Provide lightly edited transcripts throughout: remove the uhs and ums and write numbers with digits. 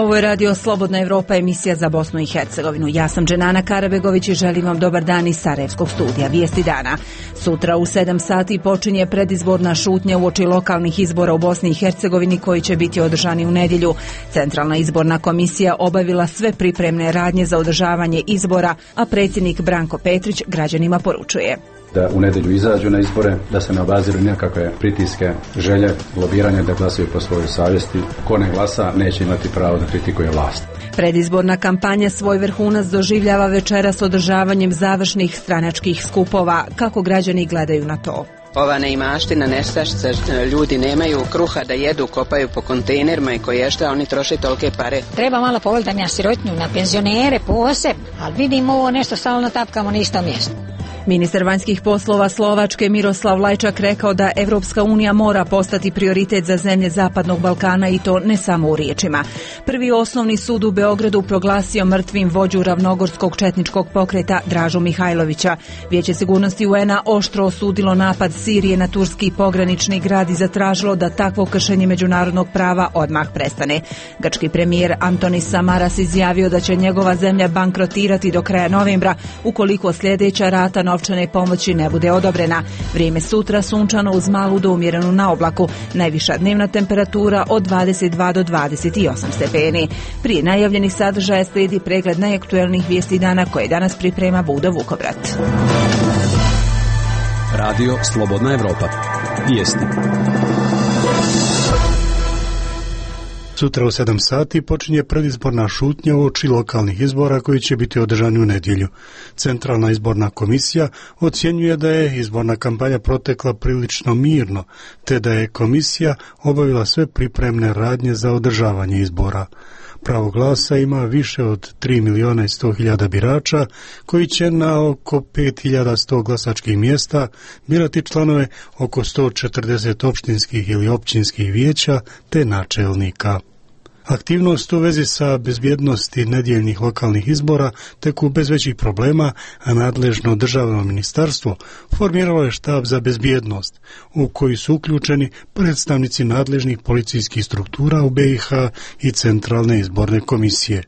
Ovo je radio Slobodna Evropa, emisija za Bosnu i Hercegovinu. Ja sam Dženana Karabegović i želim vam dobar dan iz Sarajevskog studija. Vijesti dana. Sutra u 7 sati počinje predizborna šutnja uoči lokalnih izbora u Bosni i Hercegovini koji će biti održani u nedjelju. Centralna izborna komisija obavila sve pripremne radnje za održavanje izbora, a predsjednik Branko Petrić građanima poručuje da u nedjelju izađu na izbore, da se ne obaziru nikakve pritiske, želje, lobiranje, da glasaju po svojoj savjesti. Ko ne glasa neće imati pravo da kritikuje vlast. Predizborna kampanja svoj vrhunac doživljava večeras održavanjem završnih stranačkih skupova. Kako građani gledaju na to? Ova neimaština, nestašica, ljudi nemaju kruha da jedu, kopaju po kontejnerima i koje šta oni troše tolike pare. Treba malo povoljiti na sirotnju, na penzionere posebno, ali vidimo ovo nešto stalno tapkamo na istom mjestu. Ministar vanjskih poslova Slovačke Miroslav Lajčak rekao da Evropska unija mora postati prioritet za zemlje Zapadnog Balkana i to ne samo u riječima. Prvi osnovni sud u Beogradu proglasio mrtvim vođu ravnogorskog četničkog pokreta Dražu Mihajlovića. Vijeće sigurnosti UN-a oštro osudilo napad Sirije na turski pogranični grad i zatražilo da takvo kršenje međunarodnog prava odmah prestane. Grčki premijer Antonis Samaras izjavio da će njegova zemlja bankrotirati do kraja novembra ukoliko sljedeća rata novčane pomoći ne bude odobrena. Vrijeme sutra sunčano uz malu do umjerenu na oblaku. Najviša dnevna temperatura od 22 do 28 stepeni. Prije najavljenih sadržaja slijedi pregled najaktuelnijih vijesti dana koje danas priprema Budo Vukovrat. Radio Slobodna Evropa. Vijesti. Sutra u 7 sati počinje predizborna šutnja uoči lokalnih izbora koji će biti održani u nedjelju. Centralna izborna komisija ocjenjuje da je izborna kampanja protekla prilično mirno, te da je komisija obavila sve pripremne radnje za održavanje izbora. Pravo glasa ima više od 3.100.000 birača koji će na oko 5.100 glasačkih mjesta birati članove oko 140 opštinskih ili općinskih vijeća te načelnika. Aktivnost u vezi sa bezbjednosti nedjeljnih lokalnih izbora teku bez većih problema, a nadležno državno ministarstvo formiralo je štab za bezbjednost, u koji su uključeni predstavnici nadležnih policijskih struktura u BiH i Centralne izborne komisije.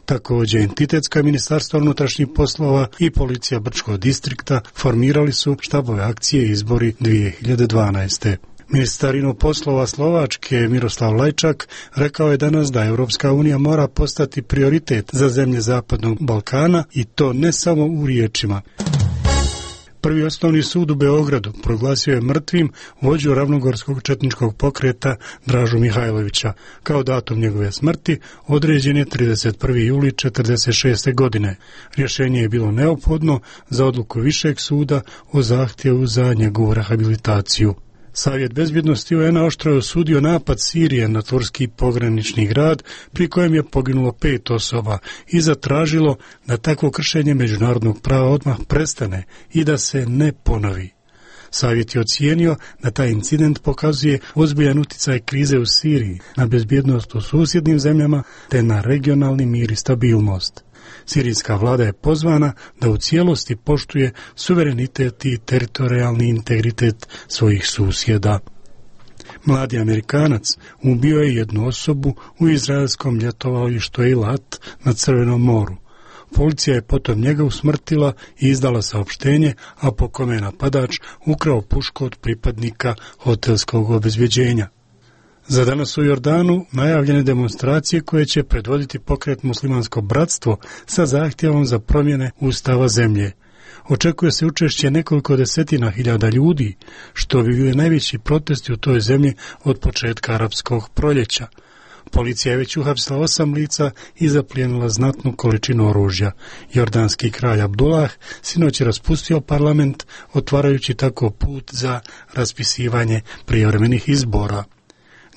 Također, entitetska ministarstva unutrašnjih poslova i policija Brčkog distrikta formirali su štabove akcije izbori 2012. Ministar poslova Slovačke Miroslav Lajčak rekao je danas da Europska unija mora postati prioritet za zemlje Zapadnog Balkana i to ne samo u riječima. Prvi osnovni sud u Beogradu proglasio je mrtvim vođu ravnogorskog četničkog pokreta Dražu Mihajlovića. Kao datum njegove smrti određen je 31. juli 1946. godine. Rješenje je bilo neophodno za odluku Višeg suda o zahtjevu za njegovu rehabilitaciju. Savjet bezbjednosti UN-a oštro je osudio napad Sirije na turski pogranični grad pri kojem je poginulo 5 osoba i zatražilo da takvo kršenje međunarodnog prava odmah prestane i da se ne ponovi. Savjet je ocijenio da taj incident pokazuje ozbiljan utjecaj krize u Siriji na bezbjednost u susjednim zemljama te na regionalni mir i stabilnost. Sirijska vlada je pozvana da u cijelosti poštuje suverenitet i teritorijalni integritet svojih susjeda. Mladi Amerikanac ubio je jednu osobu u izraelskom ljetovalištu Eilat na Crvenom moru. Policija je potom njega usmrtila i izdala saopštenje, a po kome je napadač ukrao pušku od pripadnika hotelskog obezbjeđenja. Za danas u Jordanu najavljene demonstracije koje će predvoditi pokret Muslimansko bratstvo sa zahtjevom za promjene ustava zemlje. Očekuje se učešće nekoliko desetina hiljada ljudi, što bi bili najveći protesti u toj zemlji od početka arapskog proljeća. Policija je već uhapsila 8 lica i zaplijenila znatnu količinu oružja. Jordanski kralj Abdullah sinoć je raspustio parlament, otvarajući tako put za raspisivanje prijevremenih izbora.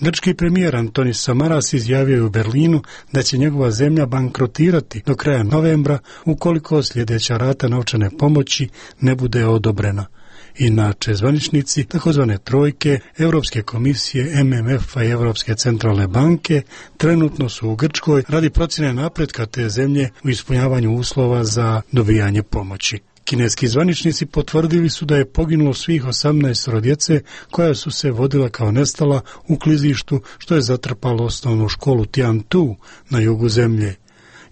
Grčki premijer Antonis Samaras izjavio je u Berlinu da će njegova zemlja bankrotirati do kraja novembra ukoliko sljedeća rata novčane pomoći ne bude odobrena. Inače, zvaničnici takozvane trojke, Europske komisije, MMF-a i Europske centralne banke trenutno su u Grčkoj radi procjene napretka te zemlje u ispunjavanju uslova za dobijanje pomoći. Kineski zvaničnici potvrdili su da je poginulo svih 18 djece koja su se vodila kao nestala u klizištu što je zatrpalo osnovnu školu Tiantu na jugu zemlje.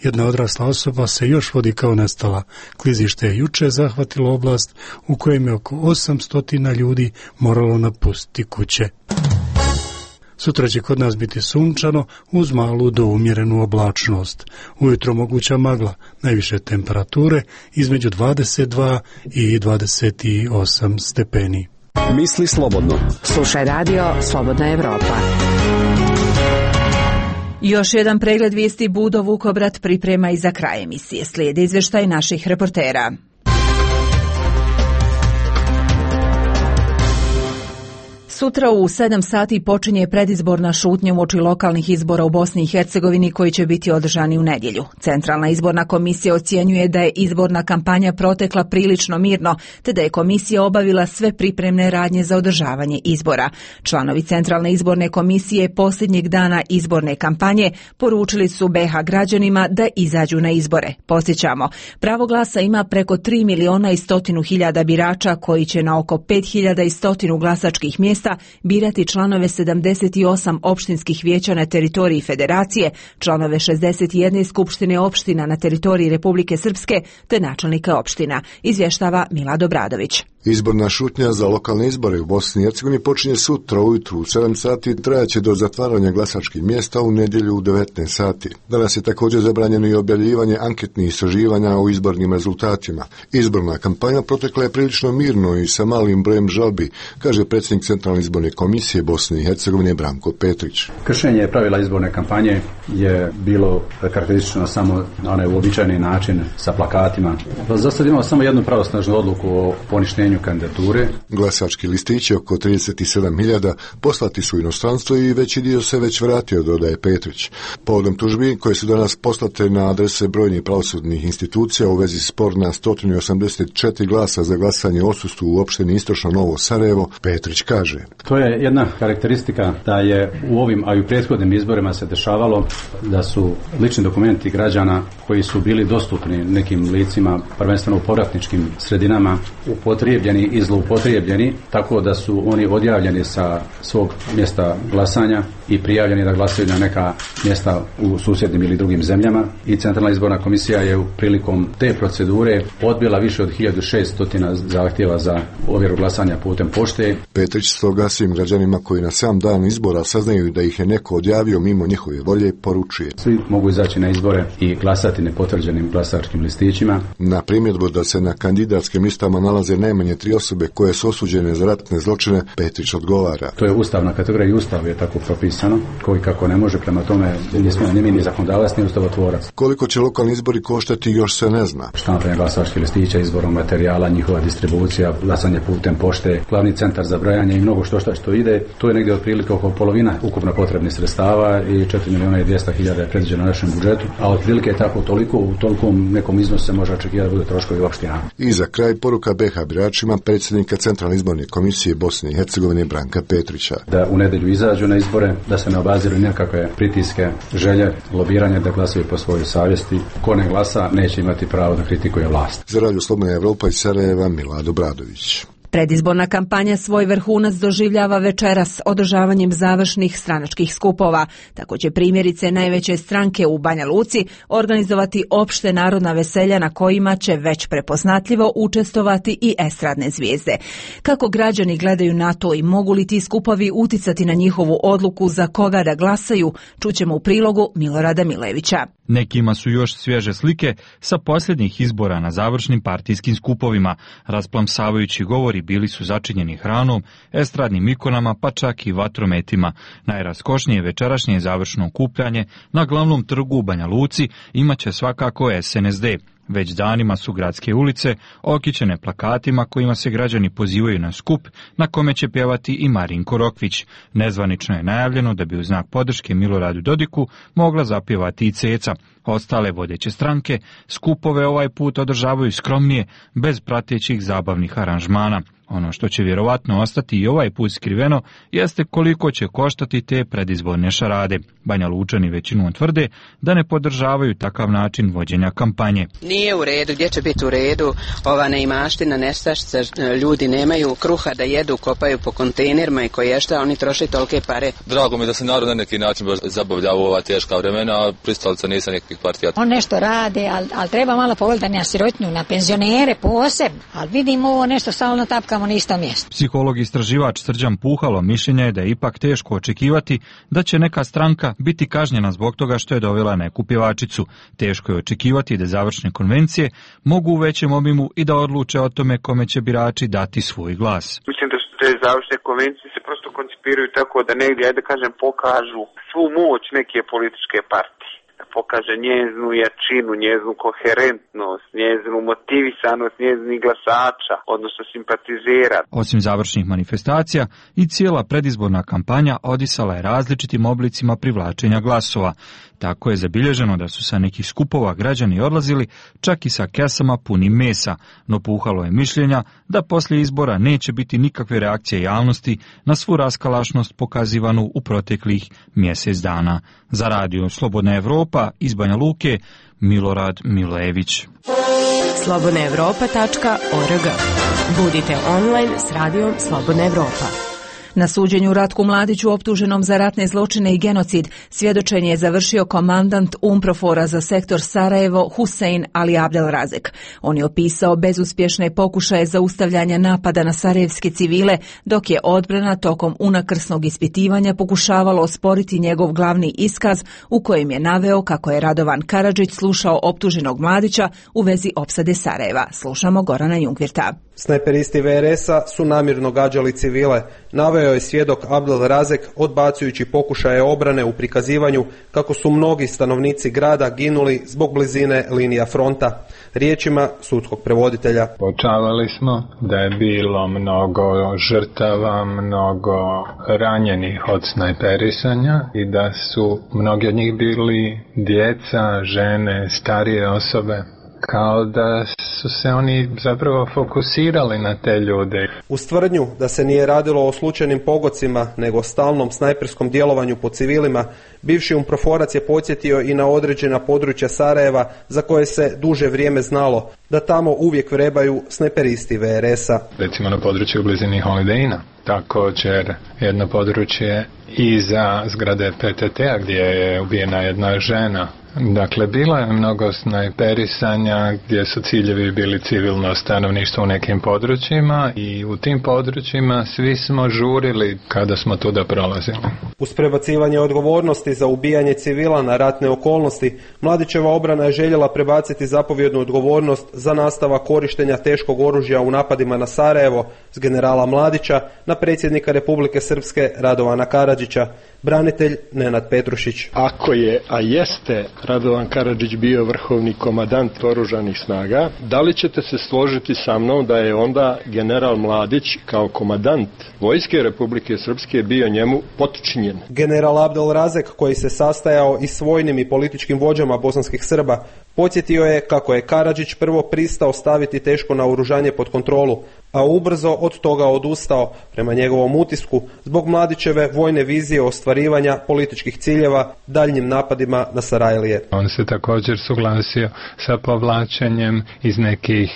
Jedna odrasla osoba se još vodi kao nestala. Klizište je juče zahvatilo oblast u kojem je oko 800 ljudi moralo napustiti kuće. Sutra će kod nas biti sunčano uz malu do umjerenu oblačnost. Ujutro moguća magla, najviše temperature između 22 i 28 stepeni. Misli slobodno. Slušaj radio Slobodna Evropa. Još jedan pregled vijesti Budo Vukobrat priprema i za kraj emisije. Slijede izvještaj naših reportera. Sutra u 7 sati počinje predizborna šutnja uoči lokalnih izbora u Bosni i Hercegovini koji će biti održani u nedjelju. Centralna izborna komisija ocjenjuje da je izborna kampanja protekla prilično mirno, te da je komisija obavila sve pripremne radnje za održavanje izbora. Članovi Centralne izborne komisije posljednjeg dana izborne kampanje poručili su BiH građanima da izađu na izbore. Podsjećamo, pravo glasa ima preko 3.100.000 birača koji će na oko 5.100 glasačkih mjesta birati članove 78 opštinskih vijeća na teritoriji Federacije, članove 61 skupštine opština na teritoriji Republike Srpske te načelnika opština, izvještava Milado Bradović. Izborna šutnja za lokalne izbore u Bosni i Hercegovini počinje sutra ujutru u 7 sati i trajaće do zatvaranja glasačkih mjesta u nedjelju u 19 sati. Danas je također zabranjeno i objavljivanje anketnih istraživanja o izbornim rezultatima. Izborna kampanja protekla je prilično mirno i sa malim brojem žalbi, kaže predsjednik Centralne izborne komisije Bosne i Hercegovine Branko Petrić. Kršenje pravila izborne kampanje je bilo karakteristično samo na onaj uobičajeni način sa plakatima. Za sad imamo samo jednu pravosnažnu odluku o poništenju kandidature. Glasački listići oko 37.000 poslati su u inostranstvo i veći dio se već vratio, dodaje Petrić. Povodom tužbi koje su danas poslate na adrese brojnih pravosudnih institucija u vezi spor na 184 glasa za glasanje o odsustvu u opštini Istočno Novo Sarajevo, Petrić kaže. To je jedna karakteristika da je u ovim, a i u prethodnim izborima se dešavalo da su lični dokumenti građana koji su bili dostupni nekim licima, prvenstveno u povratničkim sredinama, upotrijebljeni i zloupotrijebljeni, tako da su oni odjavljeni sa svog mjesta glasanja i prijavljeni da glasaju na neka mjesta u susjednim ili drugim zemljama. I Centralna izborna komisija je prilikom te procedure odbila više od 1600 zahtjeva za ovjeru glasanja putem pošte. Petrić stoga svim građanima koji na sam dan izbora saznaju da ih je neko odjavio mimo njihove volje poručuje. Svi mogu izaći na izbore i glasati nepotvrđenim glasačkim listićima. Na primjedbu da se na kandidatskim listama nalaze najmanje 3 osobe koje su osuđene za ratne zločine, Petrić odgovara. To je ustavna kategorija i ustav je tako propisano, koji kako ne može, prema tome nismo ni zakonodavac ni ustavotvorac. Koliko će lokalni izbori koštati još se ne zna. Štampanje glasačkih listića, izborom materijala, njihova distribucija, glasanje putem pošte, glavni centar za brojanje i mnogo što ide, to je negdje otprilike oko polovina ukupno potrebnih sredstava i 4.200.000 je predviđeno na našem budžetu, a otprilike je tako toliko, u tolikom nekom iznosu se može očekivati da bude troškovi opština. I za kraj poruka BiH biračima predsjednika Centralne izborne komisije Bosne i Hercegovine Branka Petrića. Da u nedjelju izađu na izbore, da se ne obaziru nekakve pritiske, želje, lobiranje, da glasaju po svojoj savjesti. Ko ne glasa neće imati pravo da kritikuje vlast. Za Radio Slobodna Evropa iz Sarajeva, Milado Bradović. Predizborna kampanja svoj vrhunac doživljava večeras održavanjem završnih stranačkih skupova. Tako će primjerice najveće stranke u Banja Luci organizovati opšte narodna veselja na kojima će već prepoznatljivo učestvovati i estradne zvijezde. Kako građani gledaju na to i mogu li ti skupovi uticati na njihovu odluku za koga da glasaju, čućemo u prilogu Milorada Milevića. Nekima su još svježe slike sa posljednjih izbora na završnim partijskim skupovima. Rasplamsavajući govori bili su začinjeni hranom, estradnim ikonama pa čak i vatrometima. Najraskošnije večerašnje završno okupljanje na glavnom trgu u Banja Luci imaće svakako SNSD. Već danima su gradske ulice okićene plakatima kojima se građani pozivaju na skup na kome će pjevati i Marinko Rokvić. Nezvanično je najavljeno da bi u znak podrške Miloradu Dodiku mogla zapjevati i Ceca. Ostale vodeće stranke skupove ovaj put održavaju skromnije, bez pratećih zabavnih aranžmana. Ono što će vjerovatno ostati i ovaj put skriveno jeste koliko će koštati te predizborne šarade. Banja Lučani većinom tvrde da ne podržavaju takav način vođenja kampanje. Nije u redu, gdje će biti u redu ova neimaština, nestašica, ljudi nemaju kruha da jedu, kopaju po kontejnerima i koje šta, oni troše tolike pare. Drago mi da se narod na neki način zabavlja u ova teška vremena, a pristalica nisam nekih partija. On nešto rade, ali treba malo pogledati na sirotnju, na penzionere posebno, ali vidimo ovo nešto stalno tapkamo na isto mjesto. Psiholog istraživač Srđan Puhalo mišljenja je da je ipak teško očekivati da će neka stranka biti kažnjena zbog toga što je dovela neku pjevačicu. Teško je očekivati da završne konvencije mogu u većem obimu i da odluče o tome kome će birači dati svoj glas. Mislim da su te završne konvencije se prosto koncipiraju tako da negdje, ajde kažem, pokažu svu moć neke političke partije. Pokaže njezinu jačinu, njezinu koherentnost, njezinu motivisanost njezinih glasača, odnosno simpatizera. Osim završnih manifestacija, i cijela predizborna kampanja odisala je različitim oblicima privlačenja glasova. Tako je zabilježeno da su sa nekih skupova građani odlazili čak i sa kesama punim mesa, no Puhalo je mišljenja da poslije izbora neće biti nikakve reakcije javnosti na svu raskalašnost pokazivanu u proteklih mjesec dana. Za radio Slobodna Evropa iz Banja Luke, Milorad Milević. slobodnaevropa.org. Budite online s radijom Slobodna Evropa. Na suđenju Ratku Mladiću optuženom za ratne zločine i genocid svjedočenje je završio komandant UNPROFOR-a za sektor Sarajevo Husein Ali Abdelrazek. On je opisao bezuspješne pokušaje zaustavljanja napada na sarajevske civile, dok je odbrana tokom unakrsnog ispitivanja pokušavalo osporiti njegov glavni iskaz u kojem je naveo kako je Radovan Karadžić slušao optuženog Mladića u vezi opsade Sarajeva. Slušamo Gorana Jungvirta. Snajperisti VRS-a su namjerno gađali civile, naveo je svjedok Abdelrazek odbacujući pokušaje obrane u prikazivanju kako su mnogi stanovnici grada ginuli zbog blizine linija fronta. Riječima sudskog prevoditelja. Uočavali smo da je bilo mnogo žrtava, mnogo ranjenih od snajperisanja i da su mnogi od njih bili djeca, žene, starije osobe. Kao da su se oni zapravo fokusirali na te ljude. Uz tvrdnju da se nije radilo o slučajnim pogodcima, nego o stalnom snajperskom djelovanju po civilima, bivši UNPROFOR-ac je podsjetio i na određena područja Sarajeva za koje se duže vrijeme znalo da tamo uvijek vrebaju snajperisti VRS-a. Recimo na području u blizini Holiday Inna. Također jedno područje iza zgrade PTT-a gdje je ubijena jedna žena. Dakle, bilo je mnogo snajperisanja gdje su ciljevi bili civilno stanovništvo u nekim područjima i u tim područjima svi smo žurili kada smo tuda prolazili. Uz prebacivanje odgovornosti za ubijanje civila na ratne okolnosti, Mladićeva obrana je željela prebaciti zapovjednu odgovornost za nastavak korištenja teškog oružja u napadima na Sarajevo s generala Mladića na predsjednika Republike Srpske Radovana Karadžića. Branitelj Nenad Petrušić. Ako je, a jeste, Radovan Karadžić bio vrhovni komandant oružanih snaga, da li ćete se složiti sa mnom da je onda general Mladić kao komandant vojske Republike Srpske bio njemu potčinjen? General Abdelrazek, koji se sastajao i s vojnim i političkim vođama bosanskih Srba, podsjetio je kako je Karadžić prvo pristao staviti teško naoružanje pod kontrolu, a ubrzo od toga odustao, prema njegovom utisku, zbog Mladićeve vojne vizije ostvarivanja političkih ciljeva daljnjim napadima na Sarajlije. On se također suglasio sa povlačenjem iz nekih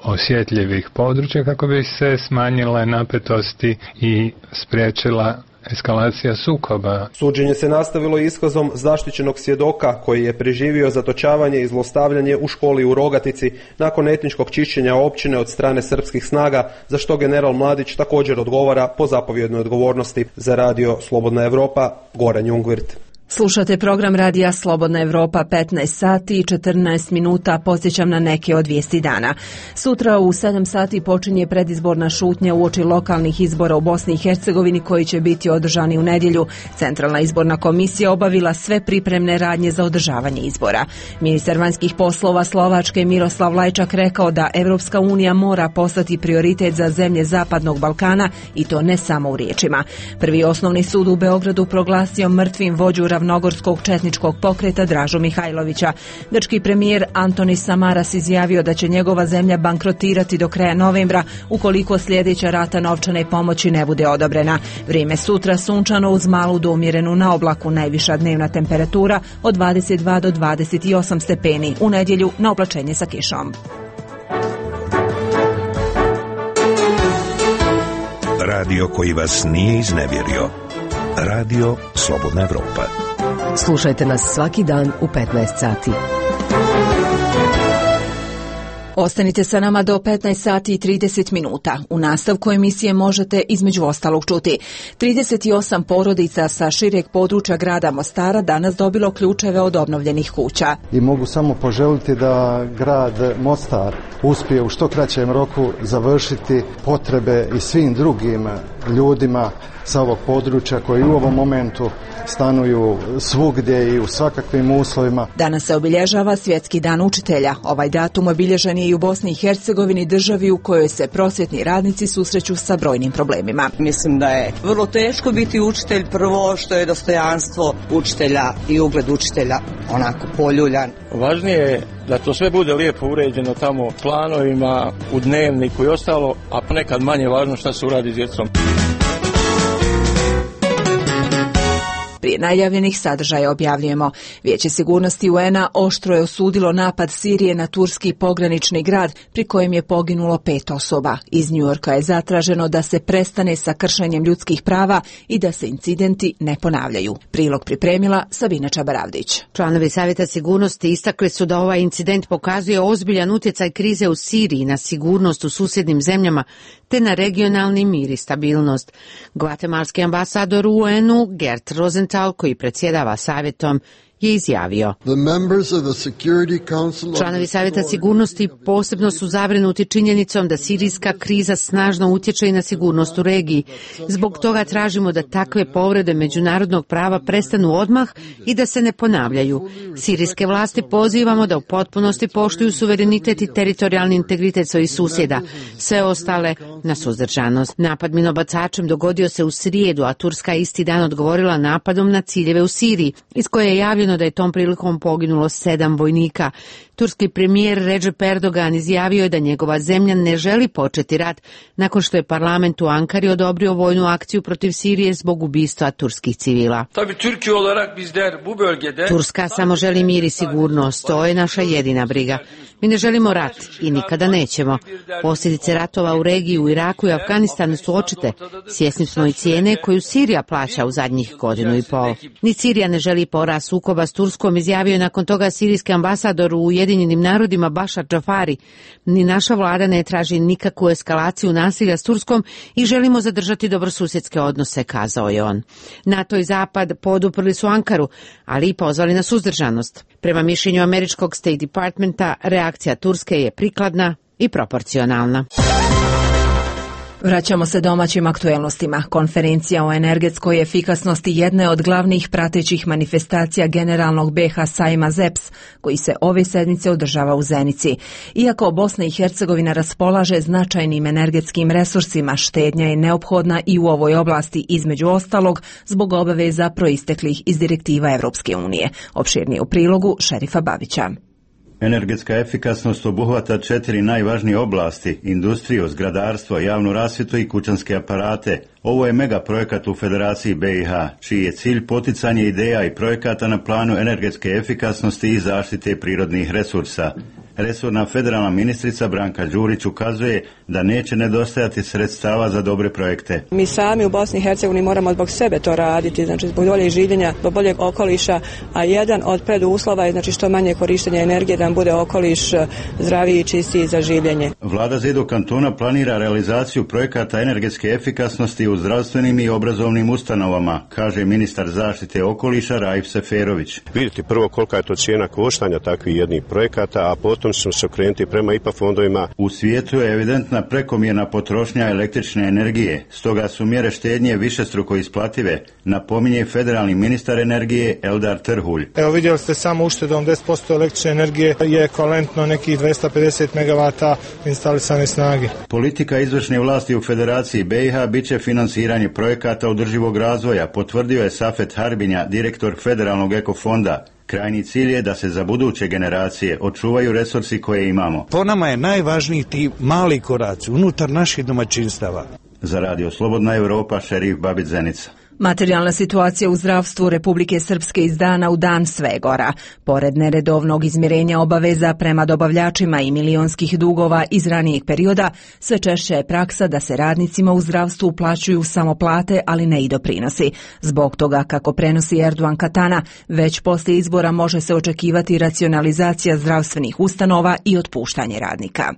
osjetljivih područja kako bi se smanjile napetosti i spriječila eskalacija sukoba. Suđenje se nastavilo iskazom zaštićenog svjedoka koji je preživio zatočavanje i zlostavljanje u školi u Rogatici nakon etničkog čišćenja općine od strane srpskih snaga, za što general Mladić također odgovara po zapovjednoj odgovornosti. Za radio Slobodna Evropa, Goran Jungvirt. Slušate program radija Slobodna Evropa, 15 sati i 14 minuta. Podsjećam na neke od vijesti dana. Sutra u 7 sati počinje predizborna šutnja uoči lokalnih izbora u Bosni i Hercegovini koji će biti održani u nedjelju. Centralna izborna komisija obavila sve pripremne radnje za održavanje izbora. Ministar vanjskih poslova Slovačke Miroslav Lajčak rekao da Evropska unija mora postati prioritet za zemlje Zapadnog Balkana i to ne samo u riječima. Prvi osnovni sud u Beogradu proglasio mrtvim vođu ravnogorskog četničkog pokreta Dražu Mihajlovića. Grčki premijer Antonis Samaras izjavio da će njegova zemlja bankrotirati do kraja novembra ukoliko sljedeća rata novčane pomoći ne bude odobrena. Vrijeme sutra sunčano uz malu do umjerenu na oblaku, najviša dnevna temperatura od 22 do 28 stepeni. U nedjelju na oblačenje sa kišom. Radio koji vas nije iznevjerio. Radio Slobodna Evropa. Slušajte nas svaki dan u 15 sati. Ostanite sa nama do 15 sati i 30 minuta. U nastavku emisije možete između ostalog čuti. 38 porodica sa šireg područja grada Mostara danas dobilo ključeve od obnovljenih kuća. I mogu samo poželiti da grad Mostar uspije u što kraćem roku završiti potrebe i svim drugim ljudima sa ovog područja koji u ovom momentu stanuju svugdje i u svakakvim uslovima. Danas se obilježava Svjetski dan učitelja. Ovaj datum obilježen je i u Bosni i Hercegovini, državi u kojoj se prosvjetni radnici susreću sa brojnim problemima. Mislim da je vrlo teško biti učitelj, prvo što je dostojanstvo učitelja i ugled učitelja onako poljuljan. Važnije je da to sve bude lijepo uređeno tamo planovima, u dnevniku i ostalo, a ponekad manje važno šta se uradi s djecom. Prije najavljenih sadržaja objavljujemo. Vijeće sigurnosti UN-a oštro je osudilo napad Sirije na turski pogranični grad pri kojem je poginulo 5 osoba. Iz Njujorka je zatraženo da se prestane sa kršenjem ljudskih prava i da se incidenti ne ponavljaju. Prilog pripremila Sabina Čabaravdić. Članovi Savjeta sigurnosti istakli su da ovaj incident pokazuje ozbiljan utjecaj krize u Siriji na sigurnost u susjednim zemljama te na regionalni mir i stabilnost. Gvatemalski ambasador u UN-u Gert Rosenthal, koji predsjedava savjetom, je izjavio: članovi Savjeta sigurnosti posebno su zabrinuti činjenicom da sirijska kriza snažno utječe i na sigurnost u regiji. Zbog toga tražimo da takve povrede međunarodnog prava prestanu odmah i da se ne ponavljaju. Sirijske vlasti pozivamo da u potpunosti poštuju suverenitet i teritorijalni integritet svojih susjeda. Sve ostale na suzdržanost. Napad minobacačem dogodio se u srijedu, a Turska isti dan odgovorila napadom na ciljeve u Siriji, iz koje je javljeno da je tom prilikom poginulo 7 vojnika. Turski premijer Recep Erdogan izjavio je da njegova zemlja ne želi početi rat nakon što je parlament u Ankari odobrio vojnu akciju protiv Sirije zbog ubistva turskih civila. Turska samo želi mir i sigurnost, to je naša jedina briga. Mi ne želimo rat i nikada nećemo. Posljedice ratova u regiji u Iraku i Afganistanu su očite. Svjesni smo i cijene koju Sirija plaća u zadnjih godinu i pol. Ni Sirija ne želi porast sukoba s Turskom, izjavio je nakon toga sirijski ambasador u Ujedinjenim narodima Bašar Džafari. Ni naša vlada ne traži nikakvu eskalaciju nasilja s Turskom i želimo zadržati dobrosusjedske odnose, kazao je on. NATO i Zapad poduprli su Ankaru, ali i pozvali na suzdržanost. Prema mišljenju američkog State Departmenta, reakcija Turske je prikladna i proporcionalna. Vraćamo se domaćim aktuelnostima. Konferencija o energetskoj efikasnosti jedna je od glavnih pratećih manifestacija generalnog BiH sajma ZEPS, koji se ove sedmice održava u Zenici. Iako Bosna i Hercegovina raspolaže značajnim energetskim resursima, štednja je neophodna i u ovoj oblasti, između ostalog zbog obaveza proisteklih iz direktiva Evropske unije. Opširnije u prilogu Šerifa Babića. Energetska efikasnost obuhvata 4 najvažnije oblasti: industriju, zgradarstvo, javnu rasvjetu i kućanske aparate. Ovo je mega projekat u Federaciji BiH, čiji je cilj poticanje ideja i projekata na planu energetske efikasnosti i zaštite prirodnih resursa. Resorna federalna ministrica Branka Đurić ukazuje da neće nedostajati sredstava za dobre projekte. Mi sami u Bosni i Hercegovini moramo zbog sebe to raditi, znači zbog boljeg življenja, zbog boljeg okoliša, a jedan od preduslova je znači što manje korištenja energije, da nam bude okoliš zdraviji i čistiji za življenje. Vlada Zedo kantona planira realizaciju projekata energetske efikasnosti u zdravstvenim i obrazovnim ustanovama, kaže ministar zaštite okoliša Raif Seferović. Vidite prvo kolika je to cijena koštanja takvih jednih projekata, a potom potom ćemo se okrenuti prema IPA fondovima. U svijetu je evidentna prekomjerna potrošnja električne energije, stoga su mjere štednje višestruko isplative, napominje federalni ministar energije Eldar Terhulj. Evo vidjeli ste samo uštedom 10% električne energije je ekvivalentno nekih 250 MW instalisane snage. Politika izvršne vlasti u Federaciji BiH bit će financiranje projekata održivog razvoja, potvrdio je Safet Harbinja, direktor Federalnog ekofonda. Krajnji cilj je da se za buduće generacije očuvaju resursi koje imamo. Po nama je najvažniji ti mali koraci unutar naših domaćinstava. Za Radio Slobodna Europa, Šerif Babić Zenica. Materijalna situacija u zdravstvu Republike Srpske iz dana u dan sve gora. Pored neredovnog izmirenja obaveza prema dobavljačima i milionskih dugova iz ranijeg perioda, sve češće je praksa da se radnicima u zdravstvu uplaćuju samo plate, ali ne i doprinosi. Zbog toga, kako prenosi Erdogan Katana, već poslije izbora može se očekivati racionalizacija zdravstvenih ustanova i otpuštanje radnika.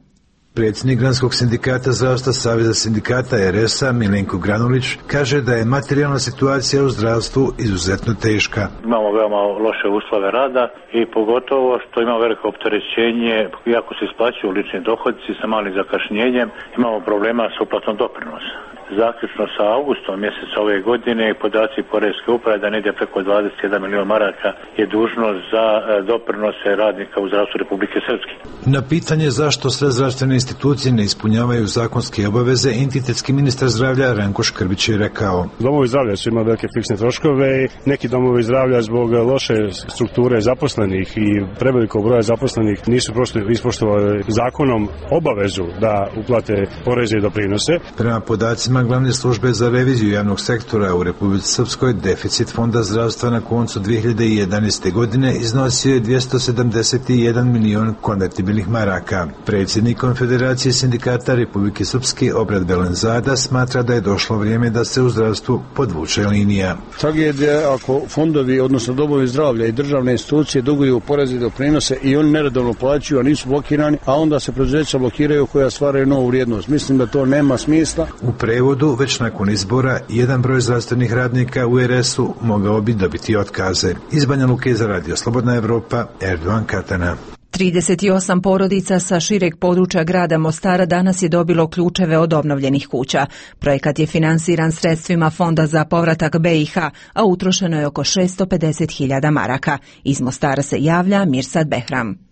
Predsjednik Granskog sindikata zdravstva Saveza sindikata RS-a Milenko Granulić kaže da je materijalna situacija u zdravstvu izuzetno teška. Imamo veoma loše uslove rada i pogotovo što ima veliko opterećenje, iako se isplaćuju lični dohodci sa malim zakašnjenjem, imamo problema s uplatom doprinosa. Zaključno sa augustom mjeseca ove godine podaci Poreske uprave da negdje preko 21 milijuna maraka je dužnost za doprinose radnika u zdravstvu Republike Srpske. Na pitanje zašto sve zdravstvene institucije ne ispunjavaju zakonske obaveze, entitetski ministar zdravlja Ranko Škrbić je rekao: Domovi zdravlja su imali velike fiksne troškove i neki domovi zdravlja zbog loše strukture zaposlenih i prevelikog broja zaposlenih nisu prosto ispoštovali zakonom obavezu da uplate poreze i doprinose. Prema podacima Glavne službe za reviziju javnog sektora u Republici Srpskoj, deficit Fonda zdravstva na koncu 2011. godine iznosio je 271 milion konvertibilnih maraka. Predsjednik Konfederacije sindikata Republike Srpske Obrad Belenzada smatra da je došlo vrijeme da se u zdravstvu podvuče linija. Tragedija ako fondovi, odnosno domovi zdravlja i državne institucije duguju poreze i doprinose i oni neredovno plaćaju, a nisu blokirani, a onda se preduzeća blokiraju koja stvaraju novu vrijednost. Mislim da to nema smisla. U prevodu, već nakon izbora, jedan broj zdravstvenih radnika u RS-u mogao bi dobiti otkaze. Iz Banja Luke za Radio Slobodna Evropa, Erdogan Katana. 38 porodica sa šireg područja grada Mostara danas je dobilo ključeve od obnovljenih kuća. Projekat je finansiran sredstvima Fonda za povratak BiH, a utrošeno je oko 650.000 maraka. Iz Mostara se javlja Mirsad Behram.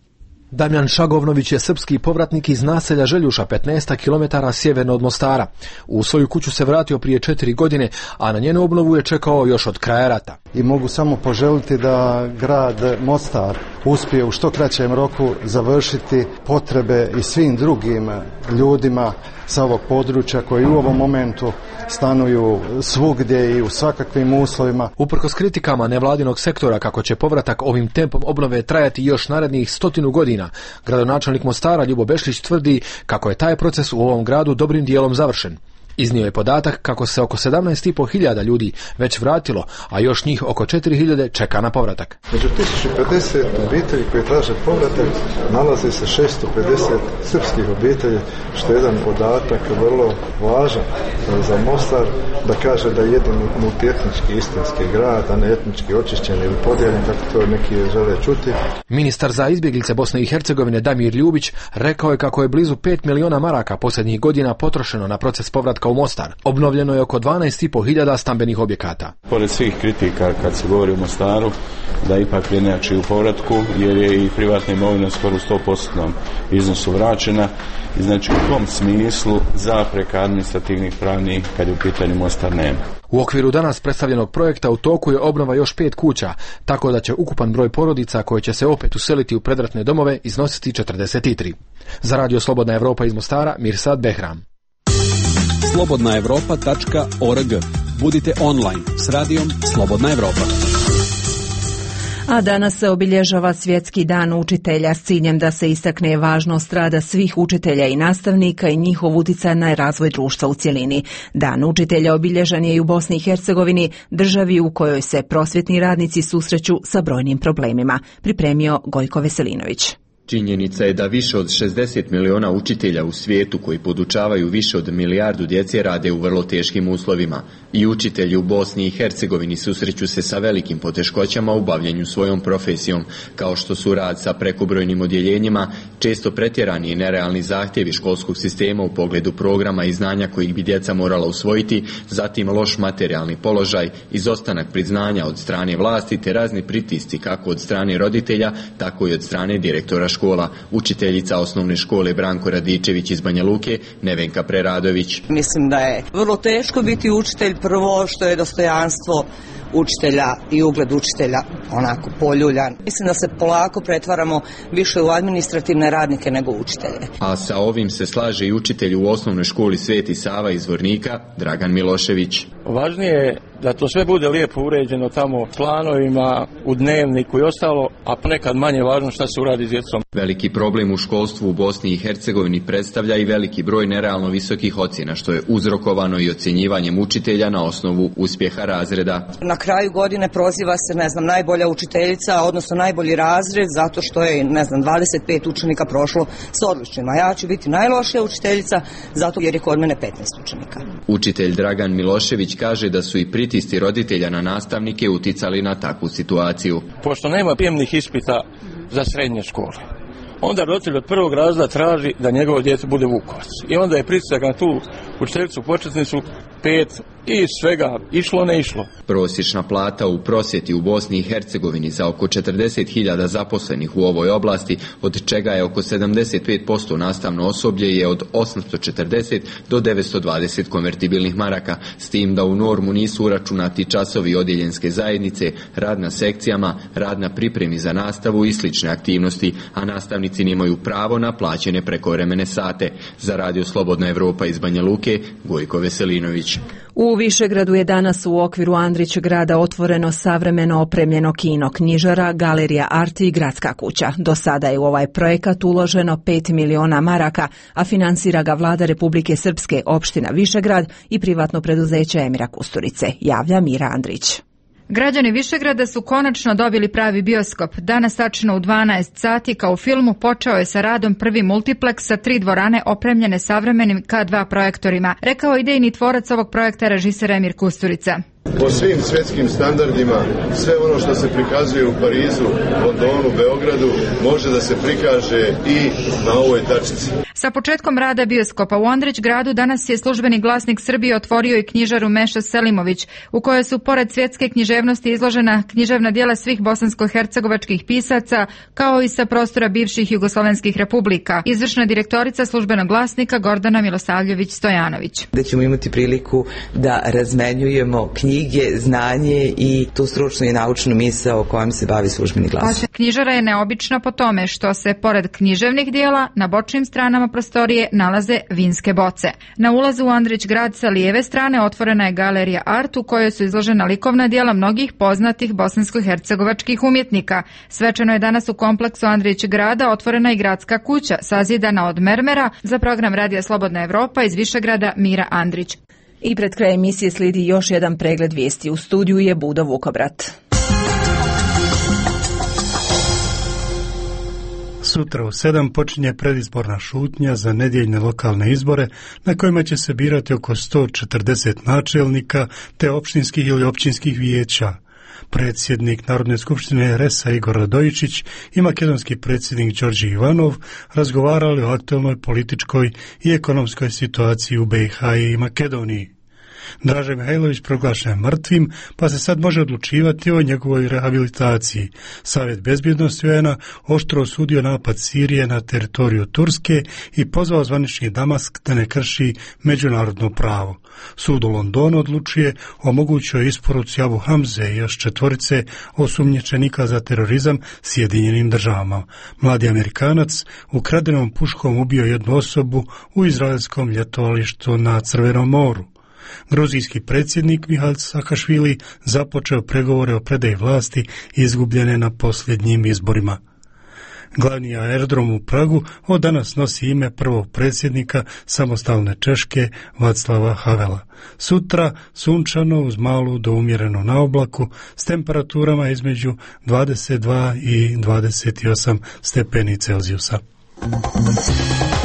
Damjan Šagovnović je srpski povratnik iz naselja Željuša, 15 km sjeverno od Mostara. U svoju kuću se vratio prije 4 godine, a na njenu obnovu je čekao još od kraja rata. I mogu samo poželiti da grad Mostar uspije u što kraćem roku završiti potrebe i svim drugim ljudima sa ovog područja koji u ovom momentu stanuju svugdje i u svakakvim uslovima. Uprkos kritikama nevladinog sektora kako će povratak ovim tempom obnove trajati još narednih 100 godina, gradonačelnik Mostara Ljubo Bešlić tvrdi kako je taj proces u ovom gradu dobrim dijelom završen. Iznio je podatak kako se oko 17.500 ljudi već vratilo, a još njih oko 4.000 čeka na povratak. Među 1050 obitelji koji traže povratak nalazi se 650 srpskih obitelji, što je jedan podatak vrlo važan za Mostar, da kaže da je jedin multietnički istinski grad, a ne etnički očišćen ili podijeljen, kako to neki žele čuti. Ministar za izbjeglice Bosne i Hercegovine Damir Ljubić rekao je kako je blizu 5 miliona maraka posljednjih godina potrošeno na proces povratka u Mostar. Obnovljeno je oko 12.500 stambenih objekata. Pored svih kritika kad se govori o Mostaru, da ipak prednjači u povratku, jer je i privatna imovina skoro u 100% iznosu vraćena. I znači u tom smislu zapreka administrativnih pravnih kad je u pitanju Mostar nema. U okviru danas predstavljenog projekta u toku je obnova još 5 kuća, tako da će ukupan broj porodica koje će se opet useliti u predratne domove iznositi 43. Za Radio Slobodna Evropa iz Mostara, Mirsad Behram. slobodnaevropa.org. Budite online s radijom Slobodna Evropa. A danas se obilježava Svjetski dan učitelja s ciljem da se istakne važnost rada svih učitelja i nastavnika i njihov utjecaj na razvoj društva u cjelini. Dan učitelja obilježan je i u Bosni i Hercegovini, državi u kojoj se prosvjetni radnici susreću sa brojnim problemima. Pripremio Gojko Veselinović. Činjenica je da više od 60 miliona učitelja u svijetu koji podučavaju više od milijardu djece rade u vrlo teškim uslovima. I učitelji u Bosni i Hercegovini susreću se sa velikim poteškoćama u bavljenju svojom profesijom, kao što su rad sa prekobrojnim odjeljenjima, često pretjerani i nerealni zahtjevi školskog sistema u pogledu programa i znanja kojih bi djeca morala usvojiti, zatim loš materijalni položaj, izostanak priznanja od strane vlasti te razni pritisci kako od strane roditelja, tako i od strane direktora škola. Učiteljica osnovne škole Branko Radičević iz Banja Luke, Nevenka Preradović. Mislim da je vrlo teško biti učitelj, prvo što je dostojanstvo učitelja i ugled učitelja onako poljuljan. Mislim da se polako pretvaramo više u administrativne radnike nego učitelje. A sa ovim se slaže i učitelj u osnovnoj školi Sveti Sava iz Vornika, Dragan Milošević. Važnije je da to sve bude lijepo uređeno tamo planovima, u dnevniku i ostalo, a ponekad manje važno šta se uradi s djecom. Veliki problem u školstvu u Bosni i Hercegovini predstavlja i veliki broj nerealno visokih ocjena, što je uzrokovano i ocjenjivanjem učitelja na osnovu uspjeha razreda. Na kraju godine proziva se, najbolja učiteljica, odnosno najbolji razred, zato što je, 25 učenika prošlo s odličnima. Ja ću biti najlošija učiteljica, zato jer je kod mene 15 učenika. Učitelj Dragan Milošević kaže da su i pritisci roditelja na nastavnike uticali na takvu situaciju. Pošto nema prijemnih ispita za srednje škole, onda roditelj od prvog razreda traži da njegovo dijete bude Vukovac. I onda je pritisak na tu učiteljicu početnicu 5 i svega išlo ne išlo. Prosječna plata u prosvjeti u Bosni i Hercegovini za oko 40.000 zaposlenih u ovoj oblasti, od čega je oko 75% nastavno osoblje, je od 840 do 920 konvertibilnih maraka, s tim da u normu nisu uračunati časovi odjeljenske zajednice, rad na sekcijama, rad na pripremi za nastavu i slične aktivnosti, a nastavnici nemaju pravo na plaćene prekovremene sate. Za Radio Slobodna Evropa iz Banja Luke, Gojko Veselinović. U Višegradu je danas u okviru Andrić grada otvoreno savremeno opremljeno kino, knjižara, galerija Arti i gradska kuća. Do sada je u ovaj projekat uloženo 5 miliona maraka, a finansira ga vlada Republike Srpske, opština Višegrad i privatno preduzeće Emira Kusturice, javlja Mira Andrić. Građani Višegrada su konačno dobili pravi bioskop. Danas tačno u 12 sati kao u filmu počeo je sa radom prvi multipleks sa 3 dvorane opremljene savremenim K2 projektorima, rekao idejni tvorac ovog projekta režiser Emir Kusturica. Po svim svjetskim standardima, sve ono što se prikazuje u Parizu, Londonu, Beogradu, može da se prikaže i na ovoj tačici. Sa početkom rada bioskopa u Andrić gradu danas je Službeni glasnik Srbije otvorio i knjižaru Meša Selimović, u kojoj su pored svjetske književnosti izložena književna djela svih bosansko-hercegovačkih pisaca, kao i sa prostora bivših jugoslovenskih republika. Izvršna direktorica Službenog glasnika Gordana Milosavljević-Stojanović. Da ćemo imati priliku da razmenjujemo knjige, znanje i tu stručnu i naučnu misao o kojom se bavi Službeni glasnik. Knjižara je neobična po tome što se pored književnih djela na bočnim stranama prostorije nalaze vinske boce. Na ulazu u Andrić grad sa lijeve strane otvorena je galerija Art u kojoj su izložena likovna djela mnogih poznatih bosansko-hercegovačkih umjetnika. Svečano je danas u kompleksu Andrić grada otvorena i gradska kuća sazidana od mermera. Za program Radija Slobodna Evropa iz Višegrada Mira Andrić. I pred kraj emisije slijedi još jedan pregled vijesti. U studiju je Budo Vukobrat. Sutra u 7 počinje predizborna šutnja za nedjeljne lokalne izbore na kojima će se birati oko 140 načelnika te opštinskih ili općinskih vijeća. Predsjednik Narodne skupštine RS-a Igor Radojičić i makedonski predsjednik Đorđe Ivanov razgovarali o aktualnoj političkoj i ekonomskoj situaciji u BiH i Makedoniji. Draže Mihajlović proglašen je mrtvim, pa se sad može odlučivati o njegovoj rehabilitaciji. Savjet bezbjednosti UN-a oštro osudio napad Sirije na teritoriju Turske i pozvao zvanični Damask da ne krši međunarodno pravo. Sud u Londonu odlučuje o mogućoj isporuci Abu Hamze i još 4 osumnjičenika za terorizam Sjedinjenim državama. Mladi Amerikanac ukradenom puškom ubio jednu osobu u izraelskom ljetovalištu na Crvenom moru. Gruzijski predsjednik Mihail Saakašvili započeo pregovore o predaji vlasti izgubljene na posljednjim izborima. Glavni aerodrom u Pragu od danas nosi ime prvog predsjednika samostalne Češke Václava Havela. Sutra sunčano uz malu do umjereno na oblaku s temperaturama između 22 i 28 stepeni Celzijusa.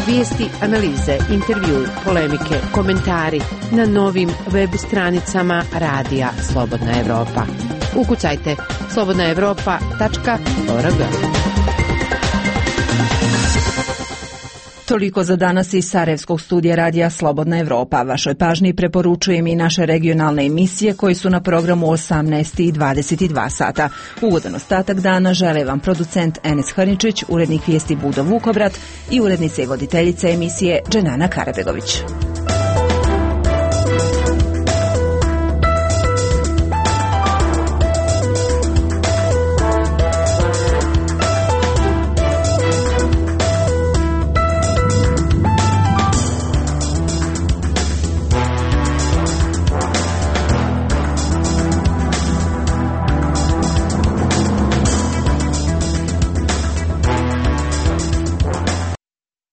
Vijesti, analize, intervju, polemike, komentari na novim web stranicama Radija Slobodna Evropa. Ukucajte slobodnaevropa.org. Toliko za danas iz Sarajevskog studija Radija Slobodna Evropa. Vašoj pažnji preporučujem i naše regionalne emisije koji su na programu 18 i 22 sata. Ugodan ostatak dana žele vam producent Enes Hrničić, urednik vijesti Budo Vukobrat i urednica i voditeljica emisije Dženana Karabegović.